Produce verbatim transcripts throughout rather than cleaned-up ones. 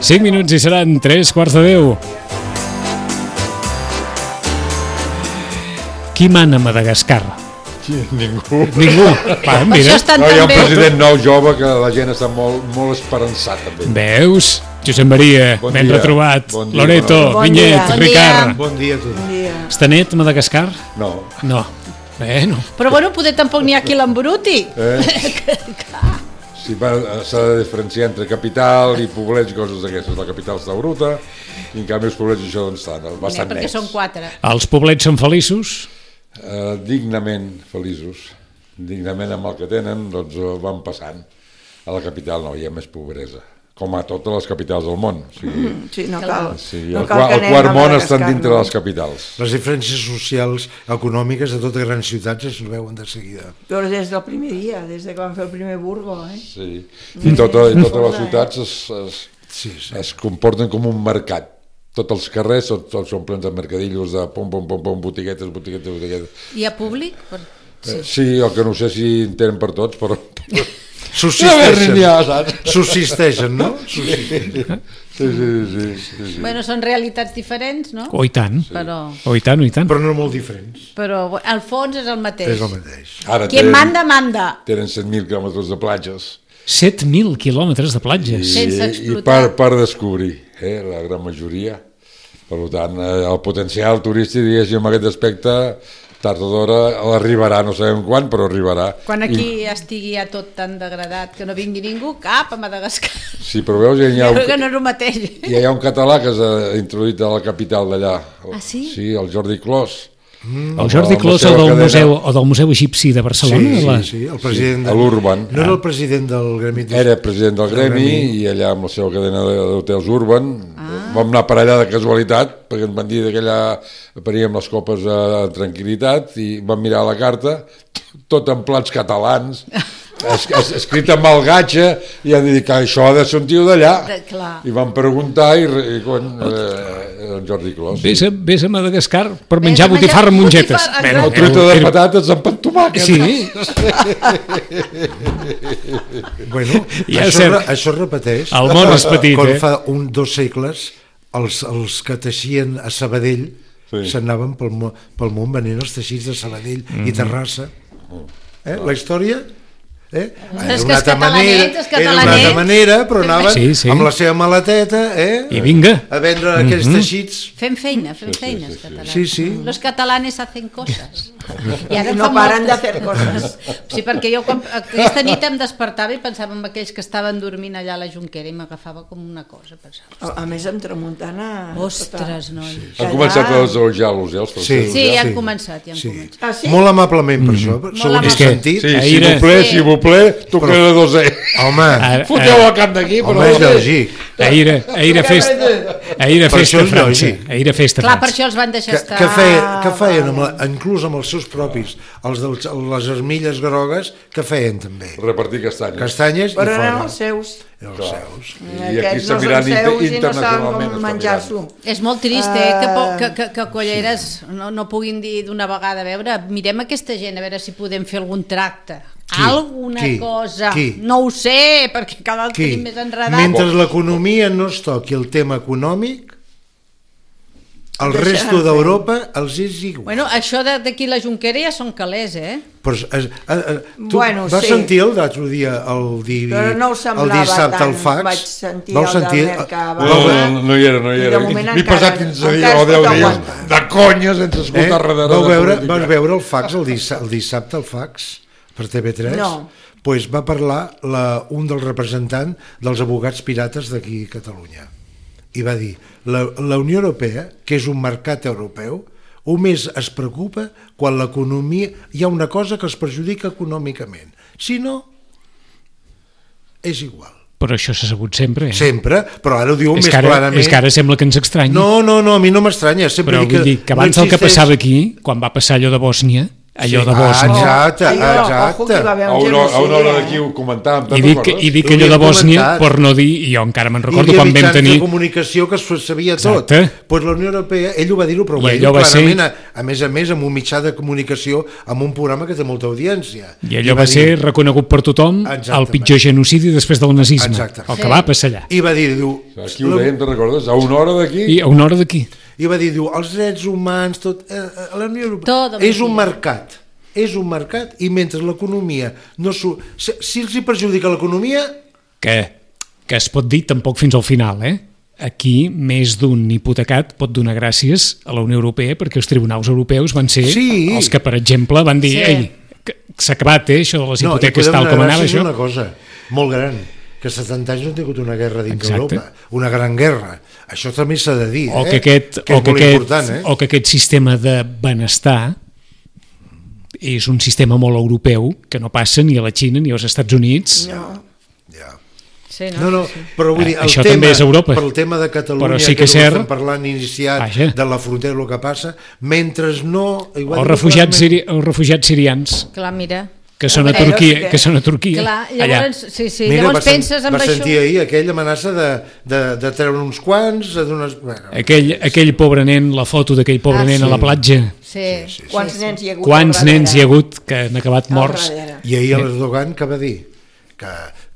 cinc minuts i seran tres quarts de deu. Qui mana a Madagascar? Ningú. Ningú. Va, mira. No, hi ha un president nou jove que la gent està molt, molt esperançat també. Veus? Josep Maria, bon ben dia. retrobat. Bon dia, Loreto, bon Vinyet, bon Ricard. Bon dia a tu. Bon dia. Està net Madagascar? No. No. Bueno. Però bueno, poder tampoc n'hi ha qui l'embruti. Eh? Sí, s'ha de diferenciar entre capital i poblets i coses d'aquestes. La capital està bruta i en canvi els poblets això on estan, bastant perquè nets. són quatre. Els poblets són feliços? Uh, dignament feliços. Dignament amb el que tenen, doncs van passant. A la capital no, hi ha més pobresa. Com a totes les capitals del món. O sigui, Mm, sí, no cal. sí, no el, cal el que quart anem a món estan Madagascar, dintre no. de les capitals. Les diferències socials, econòmiques de totes grans ciutats es veuen de seguida. Però des del primer dia, des de que van fer el primer Burgo, eh? Sí. I, tota, i totes les ciutats es, es, Sí, sí. es comporten com un mercat. Tots els carrers són, tots són plens de mercadillos, de pom, pom, pom, pom, botiguetes, botiguetes, botiguetes. Hi ha públic? Per... Sí. Eh, sí, el que no sé si en tenen per tots, però... Subsisteixen. Ja, saps? Subsisteixen, no? Subsisteixen. Sí, sí, sí, sí, sí. Bueno, són realitats diferents, no? Oh, i tant. Però, Oh, i tant, oh, i tant. Però no molt diferents. però al fons és el mateix. És el mateix. Ara Qui tenen, manda, manda. tenen set mil quilòmetres de platges. set mil quilòmetres de platges. I, Sense i explotar. per, per descobrir, eh, la gran majoria. Per tant, eh, el potencial turístic, diguéssim, en aquest aspecte, tard o d'hora arribarà, no sabem quan, però arribarà. Quan aquí I, estigui ja tot tan degradat que no vingui ningú, cap a Madagascar. sí, però veus, ja hi ha, Però que un, no és el mateix. ja hi ha un català que s'ha introduït a la capital d'allà. Ah, sí? Sí, el Jordi Clos. El Jordi Amb la Clos, seva el del cadena. museu, o del Museu Egipci de Barcelona? Sí, la... sí, sí, el president a l'Urban. No era el president del Gremi de... Era president del Gremi i allà amb la seva cadena d'hotels Urban ah. vam anar per allà de casualitat perquè ens van dir que allà paríem les copes a tranquil·litat i vam mirar la carta, tot en plats catalans, es, es, escrit amb el gatxa i han dit que això ha de ser un tio d'allà i van preguntar i, i quan, eh, el Jordi Clos. Vés a, vés a Madagascar per menjar botifarra amb mongetes. botifarra, Bueno, El truita de patates amb pan tomàquet. Sí, Bueno, Ja això, cert. re- això es repeteix. el món és petit, Quan eh? fa un, dos segles, els, els que teixien a Sabadell Sí. s'anaven pel, mo- pel món venent els teixits de Sabadell Mhm. i Terrassa. Eh? La història... Eh? És que els catalanets, els era una altra catalanets. manera, però anaven Sí, sí. amb la seva maleteta eh? I vinga. a vendre aquells teixits. Fem feina, fem feines, catalans. Sí, sí. Los catalanes hacen coses. I ara I en no fa paren moltes. de fer coses. Sí, perquè jo quan, aquesta nit em despertava i pensava en aquells que estaven dormint allà a la Jonquera i m'agafava com una cosa. Pensava, A, a més, amb tramuntana... ostres, noi. Han començat a desojar-los, eh, els Sí. francesos. Sí, ja han Sí. començat, ja han Sí. començat. Ah, sí? Molt amablement per això, segons amable. he sentit. Sí, si Aire. vous plaît, Sí. si vous plaît, tu queda dos eh. Home, Ara- Foteu el camp d'aquí, però... home, és lògic. Ahir, ahir a festa, ahir a Per festa això a és França. lògic. Ahir a festa a Clar, per França. això els van deixar Que, estar. que, feien, que feien amb la, inclús amb els seus propis, els de les armilles grogues, que feien també? Repartir castanyes. Castanyes i Però eren fora. els seus. Els seus. I aquí Aquests està no són mirant seus i no saben internacionalment. com està menjar-s'ho. És molt trist, eh, que, po- Ah. que, que, que Colleres no, no puguin dir d'una vegada, a veure, mirem aquesta gent, a veure si podem fer algun tracte. Qui? Alguna Qui? cosa. Qui? No ho sé, perquè cada vegada Qui? tenim més enredat. Mentre l'economia no es toqui el tema econòmic, el Deixaran resto fer. d'Europa els és igual. Bueno, això de- d'aquí la Jonquera ja són calés, eh? Però, es, es, es, tu Bueno, vas sí. sentir el l'altre dia, el, divi, Però no ho semblava el dissabte tant. al fax? Vaig sentir Vau el del sentir? Mercabà. No, no, no, no hi era, no hi I de era. moment M'he encara- passat quinze dies encara o deu es pot dies aguantar. de conya sense Eh? escoltar res de Vau de veure, política. vas veure el fax el, dissa, el dissabte, el fax, per T V tres? No. Pues va parlar la, un dels representants dels abogats pirates d'aquí a Catalunya. I va dir, la, la Unió Europea, que és un mercat europeu, o més es preocupa quan l'economia... Hi ha una cosa que els perjudica econòmicament. Si no, és igual. Però això s'ha sabut sempre. Eh? Sempre, però ara ho diu és, més que ara, clarament. és que ara sembla que ens estranyi. No, no, no, a mi no m'estranya. Sempre Però dic vull dir que abans no el que existeix- passava aquí, quan va passar allò de Bòsnia, allò Sí, de Bòsnia. ah, exacte, Allò, ojo, exacte. que hi va haver A un una, a una genocidi, hora eh? d'aquí ho comentàvem, I te'n dic, recordes? I dic Ho allò de havíem Bòsnia, comentat. per no dir, i jo encara me'n Hi recordo havia quan vam mitjans tenir... de comunicació que es sabia tot. Exacte. Pues la Unió Europea, ell ho va dir-ho, però ho I va dir allò va ser- clarament, a, a més a més, amb un mitjà de comunicació, amb un programa que té molta audiència. I allò va va ser dir- reconegut per tothom el Exactament. pitjor genocidi després del nazisme, Exacte. el que Sí. va passar allà. I va dir, diu... Aquí ho dèiem, te'n recordes? A una hora d'aquí... I a una hora d'aquí. I va dir, diu, els drets humans, tot... Eh, eh, la Unió Europea Tot és un mentida. mercat. És un mercat i mentre l'economia no... Su... Si, si els hi perjudica l'economia... Que, que es pot dir tampoc fins al final, eh? Aquí més d'un hipotecat pot donar gràcies a la Unió Europea perquè els tribunals europeus van ser Sí. els que, per exemple, van dir Sí. ei, que s'ha acabat, eh, això de les No, hipoteques i podem tal com donar anava gràcies a això. una cosa molt gran, que setanta anys no ha tingut una guerra dins Exacte. d'Europa, una gran guerra. Això també s'ha de dir, O eh? que aquest, que o és que molt aquest, important, eh? o que aquest sistema de benestar és un sistema molt europeu que no passa ni a la Xina ni als Estats Units. No, Ja. Sí, No, no, però vull dir, Eh, el això tema, també és Europa. per el tema de Catalunya, Però sí que és és el cert- estem parlant iniciat, Vaja. de la frontera, el que passa, mentre no... i ho ha Els dit refugiats, clarament, siri, els refugiats sirians Clar, mira. que són a Veure, Turquia, que- que són a Turquia. Clar, allà. llavors, sí, sí, Mira, llavors va, sen- penses en va això... sentir ahir aquella amenaça de, de, de treure uns quants, de donar... Bueno, Aquell, aquell pobre nen, la foto d'aquell pobre Ah, nen sí. a la platja. Sí, Sí, sí, sí. quants nens hi ha hagut Quants al darrere? nens hi ha hagut que han acabat Al morts? darrere. I ahir l'Erdogan que va dir? Que,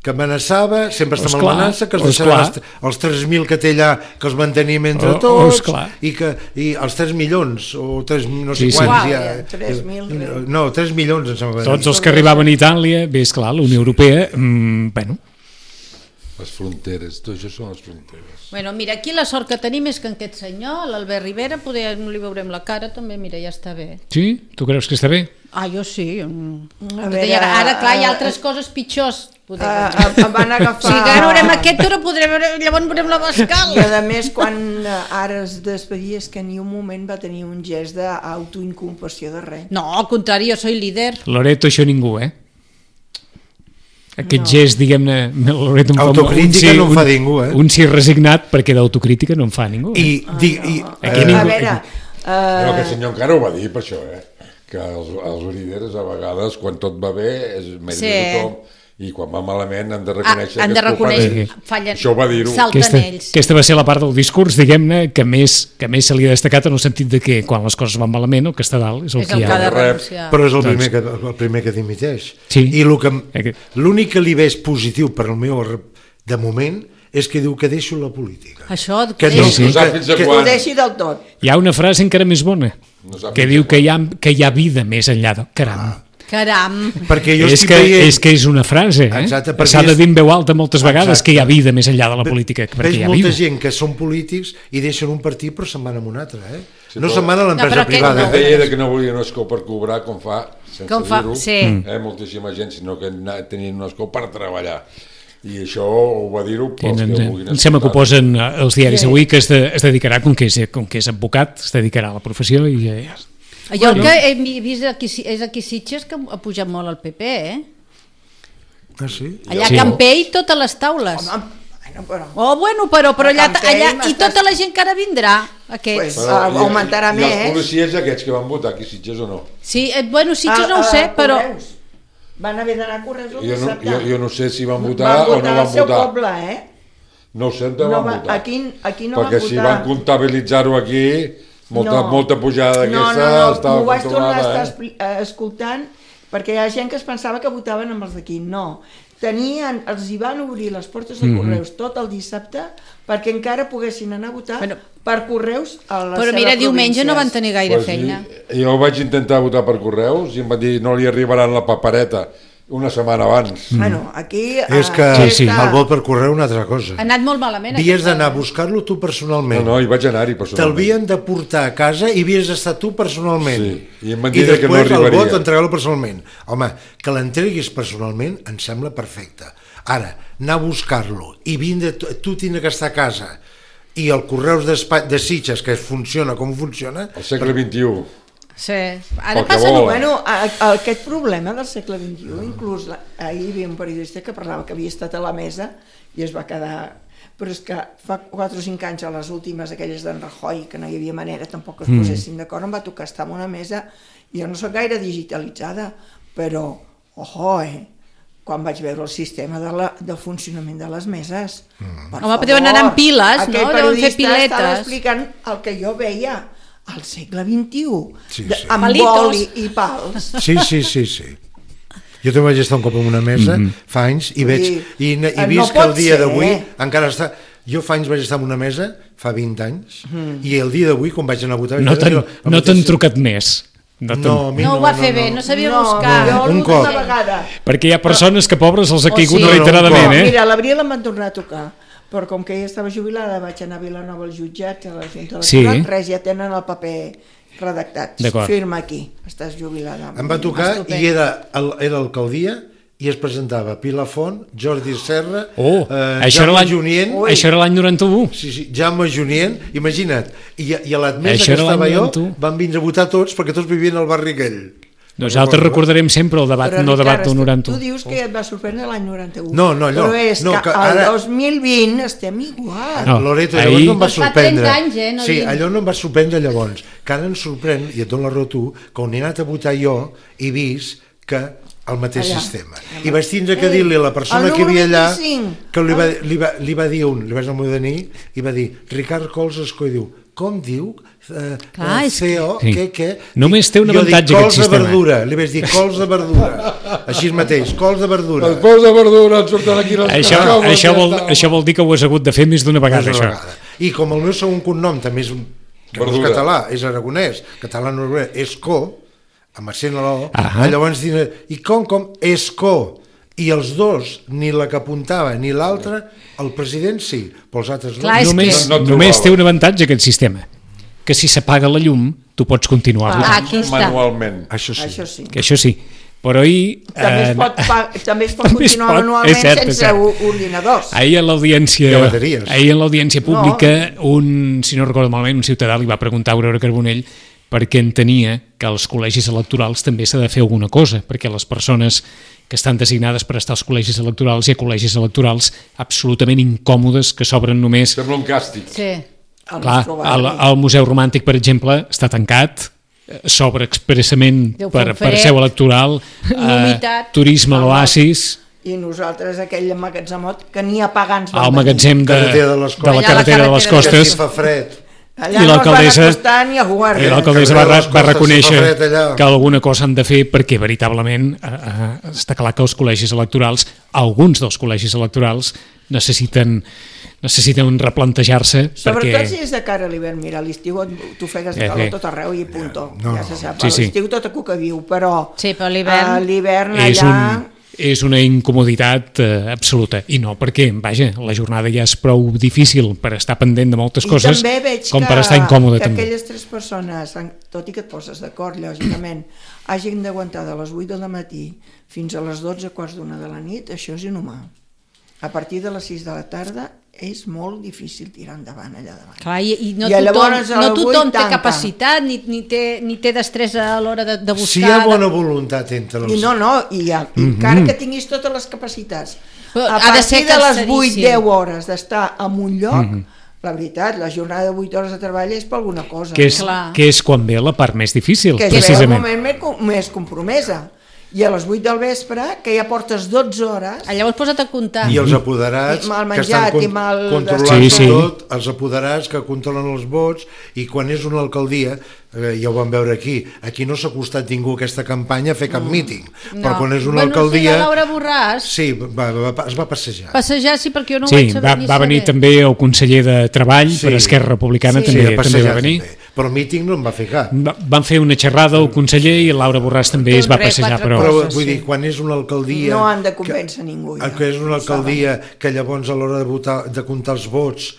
que amenaçava, sempre està amb Esclar, l'amenaça, que els esclar. deixaran els, els tres mil que té allà, que els mantenim entre Oh, oh, tots, esclar. i, que, i els tres milions, o tres, no sé Sí, sí. quants Uau, hi ha. ja, tres mil, res. No, tres milions, em sembla. que Tots dir. els que arribaven a Itàlia, bé, esclar, la Unió Europea, mmm, bueno, Les fronteres, tot això són les fronteres. Bueno, mira, aquí la sort que tenim és que aquest senyor, l'Albert Rivera, poder, no li veurem la cara, també, mira, ja està bé. sí? Tu creus que està bé? Ah, jo sí. mm. A veure, I ara, ara, clar, hi ha eh, altres coses pitjors. Poder, Uh, em van agafar... si ara veurem aquest, ara podrem veure, llavors veurem la I Bascal. a més, quan eh, ara es despedia, és que ni un moment va tenir un gest d'autoinculpació de res. No, al contrari, jo soy líder. Loreto, això ningú, eh? Aquest No. gest, diguem-ne, Loreto em fa Autocrítica un sí, no en fa un- ningú, eh? Un sí resignat, perquè d'autocrítica no en fa ningú. Eh? I, di, i, Aquí eh, ningú- A veure, Però uh, aquest senyor encara ho va dir per això, eh? Que els, els líders a vegades, quan tot va bé, és mèrit Sí. de tothom, i quan va malament han de Ah, reconèixer han que de és culpa reconèixer, d'ells. fallen, Això ho va dir-ho. salten aquesta, ells. aquesta va ser la part del discurs, diguem-ne, que més, que més se li ha destacat en el sentit de que quan les coses van malament, el que està dalt és el És que el hi que ha de ha. Rep. renunciar. però és el primer que, el primer que dimiteix. Sí. I lo que, Aquest- l'únic que li veig positiu per al meu re- de moment és que diu que deixo la política. Això, Que que no, sí. No sap fins a que- ho quan. deixi del tot. Hi ha una frase encara més bona, No sap que fins diu a que hi ha, que hi ha vida més enllà de... Caram. Caram. Perquè jo és, estic que, veient... és que és una frase, eh? Exacte, perquè S'ha de és- dir en veu alta moltes vegades Exacte. que hi ha vida més enllà de la política, perquè Veig hi ha molta vida. gent que són polítics i deixen un partit però se'n van a un altre, eh? Sí, no però- se'n van a No, l'empresa però aquest privada. no. Deia de que no volia un escó per cobrar, com fa, sense Com fa, dir-ho, sí. eh, moltíssima gent, sinó que na- tenien un escó per treballar. I això ho va dir-ho pels Ens, que vulguin em sembla que ho escoltar. posen eh, els diaris Sí. avui, que es, de, es dedicarà, com que, és, com que és advocat, es dedicarà a la professió i eh, Jo el que he vist aquí, és aquí a Sitges que ha pujat molt el P P, eh? Ah, sí? Allà Sí. a Campell, totes les taules. Home, bueno, però... Oh, bueno, però, però A allà, Campell allà i m'estàs- tota la gent que ara vindrà, aquests. Pues, Ah, augmentarà i, I els més. policies aquests que van votar aquí, Sitges o no? Sí, eh, bueno, Sitges Ah, no ho sé, ah, però... Correus. Van haver d'anar a Correus el Jo no, dissabte. jo, jo no sé si van votar, van o votar no van al seu votar. poble, eh? No ho sé on van No va- votar. aquí- aquí no Perquè van si votar. van comptabilitzar-ho aquí, molta, No. molta pujada d'aquesta no, no, no, estava m'ho vaig tornar a estar controlada. Eh? expli- eh, escoltant perquè hi ha gent que es pensava que votaven amb els d'aquí. No, tenien, els hi van obrir les portes de Correus tot el dissabte perquè encara poguessin anar a votar Bueno, per Correus a les Però seves mira, diumenge no van províncies. tenir gaire Pues feina. sí, jo vaig intentar votar per correus i em van dir no li arribaran la papereta una setmana abans. Bueno, aquí... És eh, que Sí, sí. el vot per correu una altra cosa. Ha anat molt malament. Havies aquesta- d'anar a buscar-lo tu No, personalment. no, hi vaig anar-hi personalment. Te'l de portar a casa i havies d'estar tu personalment. Sí, i em van I dir que no després el arribaria. vot entregar-lo personalment. Home, que l'entreguis personalment em sembla perfecte. Ara, anar a buscar-lo i vindre, tu, tu tindre que estar a casa i el Correus d'Espa- de Sitges, que funciona com funciona, Al segle vint-i-u. Sí. Ara Pel que passa... vol. Bueno, a, a, aquest problema del segle vint-i-u, inclús la, ahir hi havia un periodista que parlava que havia estat a la mesa i es va quedar però és que fa quatre o cinc anys a les últimes, aquelles d'en Rajoy, que no hi havia manera tampoc que es posessin d'acord, em va tocar estar en una mesa, jo no soc gaire digitalitzada, però, ojo, eh, quan vaig veure el sistema de, la, de funcionament de les meses. Mm. Home, deuen anar amb piles, no? Deuen fer piletes. Aquell periodista estava explicant el que jo veia al segle vint-i-u, sí, de, sí. amb boli i pals. Sí, sí, sí, sí. Jo també vaig estar un cop en una mesa, mm -hmm. fa anys, i veig, i, i vist no que el dia d'avui encara està... Jo fa anys vaig estar en una mesa, fa vint anys, mm. i el dia d'avui, quan vaig anar a votar... No t'han no trucat més. No, no, no ho va fer no, no. bé, no sabia no, buscar. No, un cop. Vegada. Perquè hi ha persones que pobres els ha caigut oh, sí. reiteradament, no, eh? Mira, l'abril em van tornar a tocar, però com que ja estava jubilada, vaig anar a Vilanova al jutjat, a la Junta Electoral, sí. res, ja tenen el paper redactat. Firma aquí, estàs jubilada. Em va tocar i era, era alcaldia, i es presentava Pilar Font, Jordi Serra, oh, eh, això Jaume Junient... Això era l'any noranta-u. Sí, sí, Jaume Junient, imagina't, i, i a l'admesa que estava jo van vindre a votar tots perquè tots vivien al barri aquell. Nosaltres no recordarem sempre el debat, però, no debat del noranta-u. Tu dius que et va sorprendre l'any noranta-u. No, no, allò. Però és no, que, que ara... el dos mil vint estem igual. No, Loreto, llavors ahir... no em va sorprendre. Fa trenta anys, eh? No sí, dic... allò no em va sorprendre llavors. Que ara em sorprèn, i et dono la raó tu, que on he anat a votar jo he vist que el mateix allà. Sistema. I vaig tindre que dir-li a la persona que hi havia allà que li va, li va, li va dir un, li vaig anar a dir, i va dir, Ricard Cols Escó, i diu, com diu? Uh, Clar, C O, sí. què, què? Només té un avantatge aquest sistema. Cols de verdura, li vaig dir cols de verdura, així mateix, cols de verdura. Els cols de verdura et surten aquí les això, això, vol, això vol dir que ho has hagut de fer més d'una vegada, això. Vegada. I com el meu segon cognom també és, que no és català, és aragonès, català no és Escó, amb accent a l'O, llavors diuen, i com, com, Escó, i els dos, ni la que apuntava ni l'altra, el president sí, però els altres no. Clar, només, que... no, no només té un avantatge aquest sistema, que si s'apaga la llum, tu pots continuar ah, aquí està. manualment. Això sí. Això sí. Que això sí. Però ahir... També es pot, pa, també es pot també continuar es pot, manualment cert, sense ordinadors. Ahir a l'audiència ahir a l'audiència pública, no. un, si no recordo malament, un ciutadà li va preguntar a Aurora Carbonell perquè entenia que als col·legis electorals també s'ha de fer alguna cosa, perquè les persones que estan designades per estar als col·legis electorals hi ha col·legis electorals absolutament incòmodes que s'obren només... Sembla un càstig. Sí. Clar, el, el Museu Romàntic, per exemple, està tancat, s'obre expressament per, per seu electoral, eh, turisme a l'Oasis... I nosaltres aquell magatzemot que ni a pagants al magatzem de, de, de, les de la carretera de les Costes, que fa fred. Allà no es van acostar ni a jugar. I l'alcaldessa va, va reconèixer que alguna cosa han de fer perquè veritablement eh, eh, està clar que els col·legis electorals, alguns dels col·legis electorals necessiten necessiten replantejar-se. Sobretot perquè... si és de cara a l'hivern. Mira, a l'estiu t'ofegues de calor eh, tot arreu i punto. No, ja se sap. Sí, sí. L'estiu tot a cuca viu, però sí, però l'hivern l'hivern allà... Un... és una incomoditat eh, absoluta, i no perquè, vaja, la jornada ja és prou difícil per estar pendent de moltes I coses com que, per estar incòmode que també. Aquelles tres persones, tot i que et poses d'acord, lògicament, hagin d'aguantar de les vuit del matí fins a les dotze quarts d'una de la nit, això és inhumà. A partir de les sis de la tarda és molt difícil tirar endavant allà davant. Clar, i, i no I tothom, no tothom té capacitat ni, ni, té, ni té destresa a l'hora de, de buscar. Si hi ha bona voluntat entre els... I no, no, i ha, mm -hmm. encara que tinguis totes les capacitats, però a ha de ser partir de les vuit deu hores d'estar en un lloc, mm -hmm. la veritat, la jornada de vuit hores de treball és per alguna cosa. Que és, que és quan ve la part més difícil, que precisament. Que és el moment més, més compromesa. I a les vuit del vespre, que ja portes dotze hores... Llavors posa't a comptar. I els apoderats, mal menjat, que estan con mal controlant sí, sí. tot, els apoderats que controlen els vots, i quan és una alcaldia, eh, ja ho vam veure aquí, aquí no s'ha costat ningú aquesta campanya a fer cap mm. míting, no. Però quan és una bueno, alcaldia... Sí, la Laura Borràs... Sí, va, va, es va passejar. Passejar, sí, perquè jo no ho sí, vaig saber va, ni va venir saber. també el conseller de Treball sí. per Esquerra Republicana, sí. també, sí, també va venir. També. Però el míting no en va fer cap. Va, van fer una xerrada el conseller i Laura Borràs també es va passejar, però... Però vull dir, quan és una alcaldia... No han de convèncer ningú. Ja. Que és una alcaldia que llavors a l'hora de, votar, de comptar els vots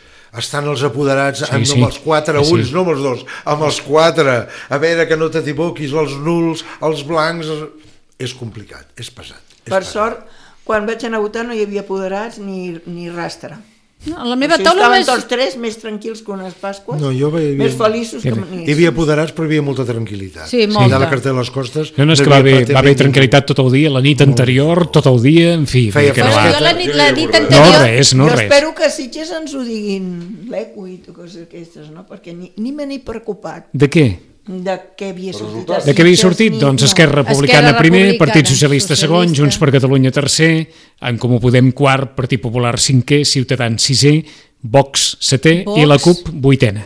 estan els apoderats sí, amb, sí. amb els quatre ulls, sí. no amb els dos, amb els quatre, a veure que no t'equivoquis, els nuls, els blancs... És complicat, és pesat. És per pesat. sort, quan vaig anar a votar no hi havia apoderats ni, ni rastre. No, la meva Així taula estaven més... tots tres més tranquils que unes Pasques, No, jo veia- més feliços que Hi manies. havia apoderats, però hi havia molta tranquil·litat. Sí, molta. De la cartera de les costes... No, no, és que va haver, va haver tranquil·litat tot el dia, la nit anterior, tot el dia, en fi. Feia que no, Però va. jo la nit, la nit No anterior... res, no jo res. espero que a Sitges ens ho diguin l'Equit o coses aquestes, no? Perquè ni, ni me n'he preocupat De què? de què havia sortit. Resultats. a De què havia Sitges, sortit? ni- Doncs no. Esquerra Republicana Esquerra primer, Republicana, Partit Socialista segon, Socialista. Junts per Catalunya tercer, En Comú Podem quart, Partit Popular cinquè, Ciutadans sisè, Vox setè Vox. i la CUP vuitena.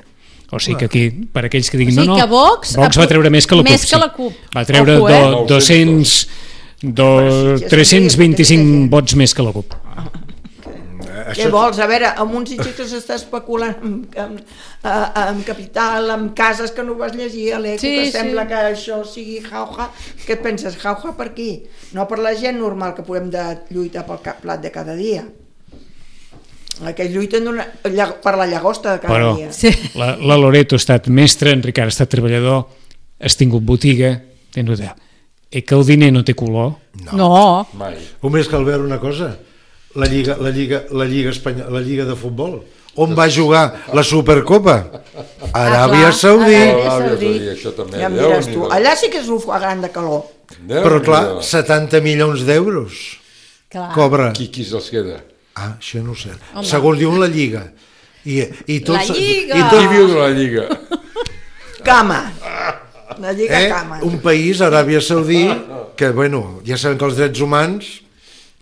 O sigui que aquí, per aquells que O diguin sigui no, no, que Vox, Vox va treure més que la CUP. més que sí. la CUP. Va treure Ojo, eh? do, doscents, do, Però sí, ja tres-cents vint-i-cinc sabia que vots més que la CUP. Què vols? A veure, amb un Sitges que s'està especulant amb, amb, amb, amb capital, amb cases que no vas llegir a l'Eco, Sí, que sí. sembla que això sigui jauja. Què et penses? Jauja per qui? No per la gent normal que podem de lluitar pel cap- plat de cada dia. Aquells lluiten d'una, lla- per la llagosta de cada Però dia. Sí. la, la Loreto ha estat mestre, en Ricard ha estat treballador, has tingut botiga, tens idea. I que el diner no té color. No. Mai. Només cal veure una cosa, la Lliga, la Lliga, la Lliga, Espanya, la Lliga de Futbol. On va jugar la Supercopa? Aràbia clar, Saudí. Aràbia Aràbia Saudí. Saudí, això també. Ja em Déu diràs n'hi tu. do. Allà sí que és un gran de calor. Déu Però n'hi clar, do. setanta milions d'euros Clar. cobra. Qui, qui se'ls queda? Ah, això no ho sé. Home. Segons diuen la Lliga. I, i tots, La Lliga! I Qui tot, viu de la Lliga? Cama. La Lliga eh, Cama. un país, Aràbia Saudí, que, bueno, ja sabem que els drets humans...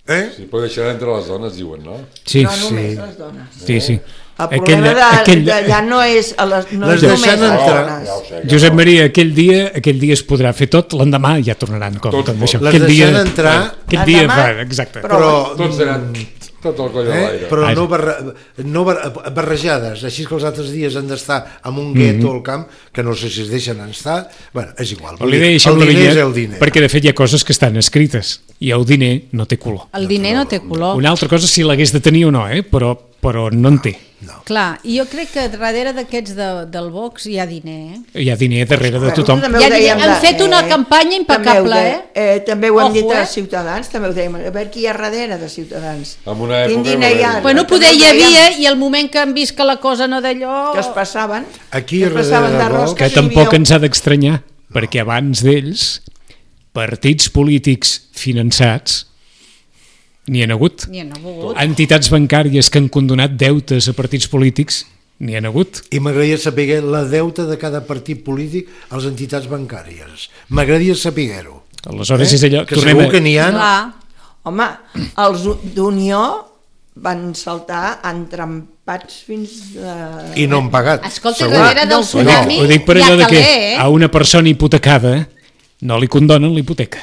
Eh? Sí, però deixarà entre les dones, diuen, no? Sí, No només sí. les dones. sí, sí. El problema Aquell- aquell- d'allà no és, a les, no Les és només deixen les entrar. dones. Ja ho sé, Josep Maria, aquell dia, aquell dia es podrà fer tot, l'endemà ja tornaran com Tot tot, pot. això. Les Aquell dia, deixen entrar. Aquell dia, Endemà, fa, exacte. però- Però, Tots seran tot el coll a eh? l'aire. però Vaja. no, barra, no barra, barrejades, així que els altres dies han d'estar en un gueto al camp, que no sé si es deixen estar, bueno, és igual. Però li deia això el amb la diner és vinyet, el diner. perquè de fet hi ha coses que estan escrites i el diner no té color. El diner no té color. Una altra cosa si l'hagués de tenir o no, eh? però, però no en té. Clar, i jo crec que darrere d'aquests de, del Vox hi ha diner, eh? Hi ha diner darrere de tothom. També ho Ja dèiem han de- fet una campanya impecable, també ho de- eh? També ho hem Ojo, dit a eh? Ciutadans, també ho dèiem. A veure qui hi ha darrere de Ciutadans. En una Quin època diner no hi ha? era. Bueno, També poder ho hi dèiem, havia, i el moment que han vist que la cosa no d'allò... que es passaven, Aquí que es passaven darrere de d'arròs, Vox- Que si hi tampoc havia- ens ha d'estranyar, perquè abans d'ells, partits polítics finançats n'hi han hagut. Ni han hagut. Entitats bancàries que han condonat deutes a partits polítics n'hi han hagut. I m'agradaria saber la deuta de cada partit polític a les entitats bancàries. M'agradaria saber-ho. Aleshores és allò... Que tornem segur a- que n'hi ha... Clar. Home, els d'Unió van saltar entrampats fins a... I no han pagat. Escolta, segur. darrere del No, tsunami Ho dic per hi ha allò de que caler, eh? a una persona hipotecada no li condonen l'hipoteca,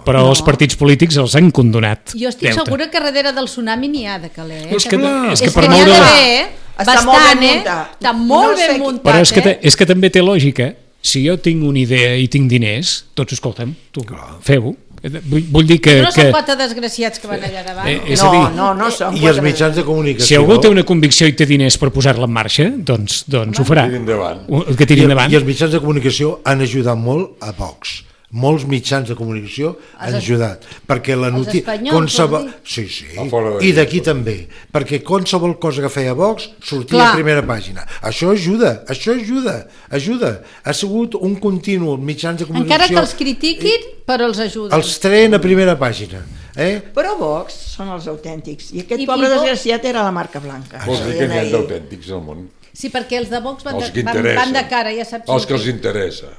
però No. els partits polítics els han condonat. Jo estic deute. segura que darrere del tsunami n'hi ha de caler. Eh? És que, Clar. és que És per que n'hi ha moure... la- d'haver, eh? Està Bastant, molt ben eh? muntat. Està molt No sé ben qui- muntat, Però és que, eh? te, és que també té lògica. Si jo tinc una idea i tinc diners, tots escolta'm, tu feu-ho. Vull, vull dir que... No que són quatre desgraciats que van allà davant. Eh, és a No, dir, no, no són I els quatre- mitjans de comunicació... si algú té una convicció i té diners per posar-la en marxa, doncs, doncs ho farà. Tiri endavant. Que tiri I, endavant. I els mitjans de comunicació han ajudat molt a Vox. Molts mitjans de comunicació han Els- ajudat. Perquè la els notícia... espanyols, vols dir? Sí, sí. A fora d'aquí. I d'aquí també. Perquè qualsevol cosa que feia Vox sortia Clar. a primera pàgina. Això ajuda, això ajuda, ajuda. Ha sigut un continu mitjans de comunicació... Encara que els critiquin, però els ajuden. Els treien a primera pàgina. Eh? Però Vox són els autèntics. I aquest I- pobre i Vox- desgraciat era la marca blanca. Vols dir que n'hi ha d'autèntics al món? Sí, perquè els de Vox van, Els de, que van, interessen. van de cara, ja saps. Els que els interessa.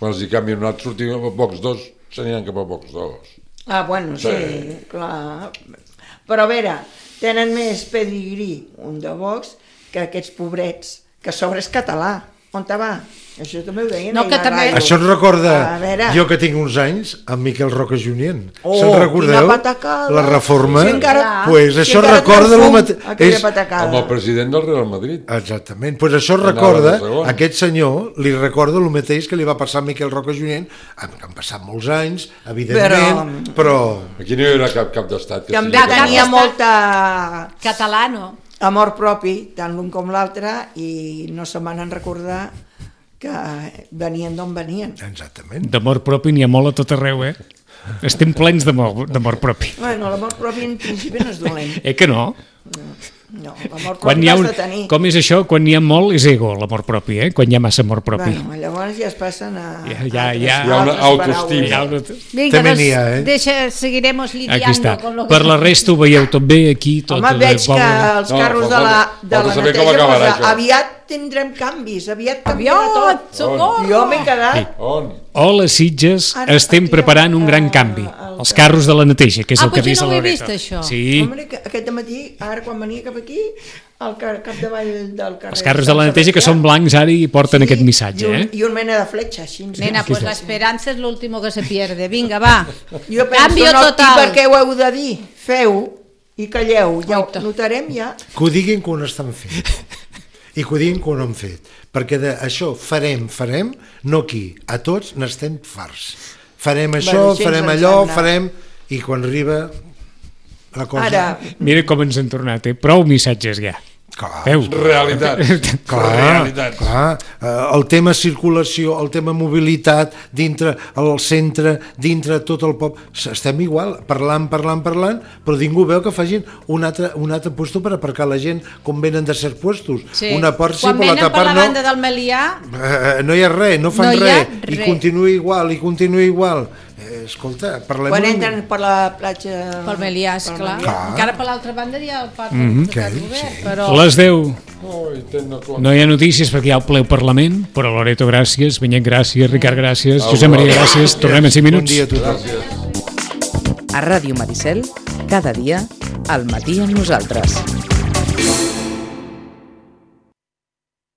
Quan els hi canvien un altre, sortim a Vox dos, s'aniran cap a Vox dos. Ah, bueno, sí, Sí. clar. Però a veure, tenen més pedigrí un de Vox que aquests pobrets, que a sobre és català. On te va? Això també ho deien. No, ahir que a la també- ràdio. Això ens recorda, A veure. jo que tinc uns anys, amb Miquel Roca Junyent. Oh, Se'n recordeu? quina patacada. La reforma? Sí, encara- pues sí, això encara recorda treu el fum, mateix. aquella patacada. Amb el president del Real Madrid. Exactament, pues això Anava recorda, de segon. aquest senyor li recorda el mateix que li va passar a Miquel Roca Junyent, han, han passat molts anys, evidentment, però... però... Aquí no hi haurà cap cap d'estat. que També sigui Cap tenia d'estat. molta Català, no? amor propi, tant l'un com l'altre, i no se van recordar que venien d'on venien. Exactament. D'amor propi n'hi ha molt a tot arreu, eh? Estem plens d'amor d'amor propi. Bueno, l'amor propi en principi no és dolent. Eh que no? No, l'amor Quan propi hi ha l'has un, de tenir. com és això? Quan n'hi ha molt és ego, l'amor propi, eh? Quan hi ha massa amor propi. Bueno, llavors ja es passen a... Ja, ja, altres- ja. Hi ha una altres autoestima. Hi ha paraules. una... Vinga, També doncs, n'hi ha, eh? deixa, seguiremos lidiando Aquí està. con lo que... Per la resta ho veieu tot bé aquí, tot Home, veig que poble. els No, carros falta- de la, de falta la saber com neteja acabarà posa, això. aviat tindrem canvis, aviat canviarà Aviat, tot. socorro! Jo m'he quedat... On? Hola, Sitges, Ara, estem aquí, preparant un a- gran canvi. al- Els carros de la neteja, que és Ah, el que ha potser vist no a ho he Loreto. vist, això. Sí, Home, que aquest matí, ara quan venia cap aquí, al car capdavall del carrer... els carros de la Sant neteja que Sebastià, són blancs ara i porten sí, aquest missatge, i un, eh? I un mena de fletxa, així. Nena, pues la esperanza es lo último que se pierde. Vinga, va. Jo penso, Canvio no, total. i per què ho heu de dir? Feu i calleu, ja ho Oita. notarem ja. Que ho diguin que ho estan fent i que ho diguin que ho no han fet, perquè d'això farem, farem, no aquí, a tots n'estem farts. Farem això, Bueno, així ens farem en allò, sembla. farem... I quan arriba la cosa... Ara, Mira com ens han tornat, eh? Prou missatges ja. Clar, Veus? Realitat. clar, Realitat. clar. Eh, el tema circulació, el tema mobilitat, dintre el centre, dintre tot el poble, estem igual, parlant, parlant, parlant, però ningú veu que facin un altre, un altre puesto per aparcar la gent com venen de certs puestos. Sí. Una part sí, Quan però venen l'altra per part la no. banda del Melià, Eh, no hi ha res, no fan No hi ha res, i res. continua igual, i continua igual. Eh, escolta, parlem... quan una entren per la platja... pel Melià, pel esclar. Melià. Encara per l'altra banda hi ha el parc Mhm. de que Sant sí. Robert, però... Les deu. Oi, ten no compte. No hi ha notícies perquè hi ha el ple al Parlament, però Loreto, gràcies, Benyet, gràcies, Ricard, gràcies, Josep Maria, gràcies, tornem en cinc minuts. Bon dia a tothom. A Ràdio Maricel, cada dia, al matí amb nosaltres.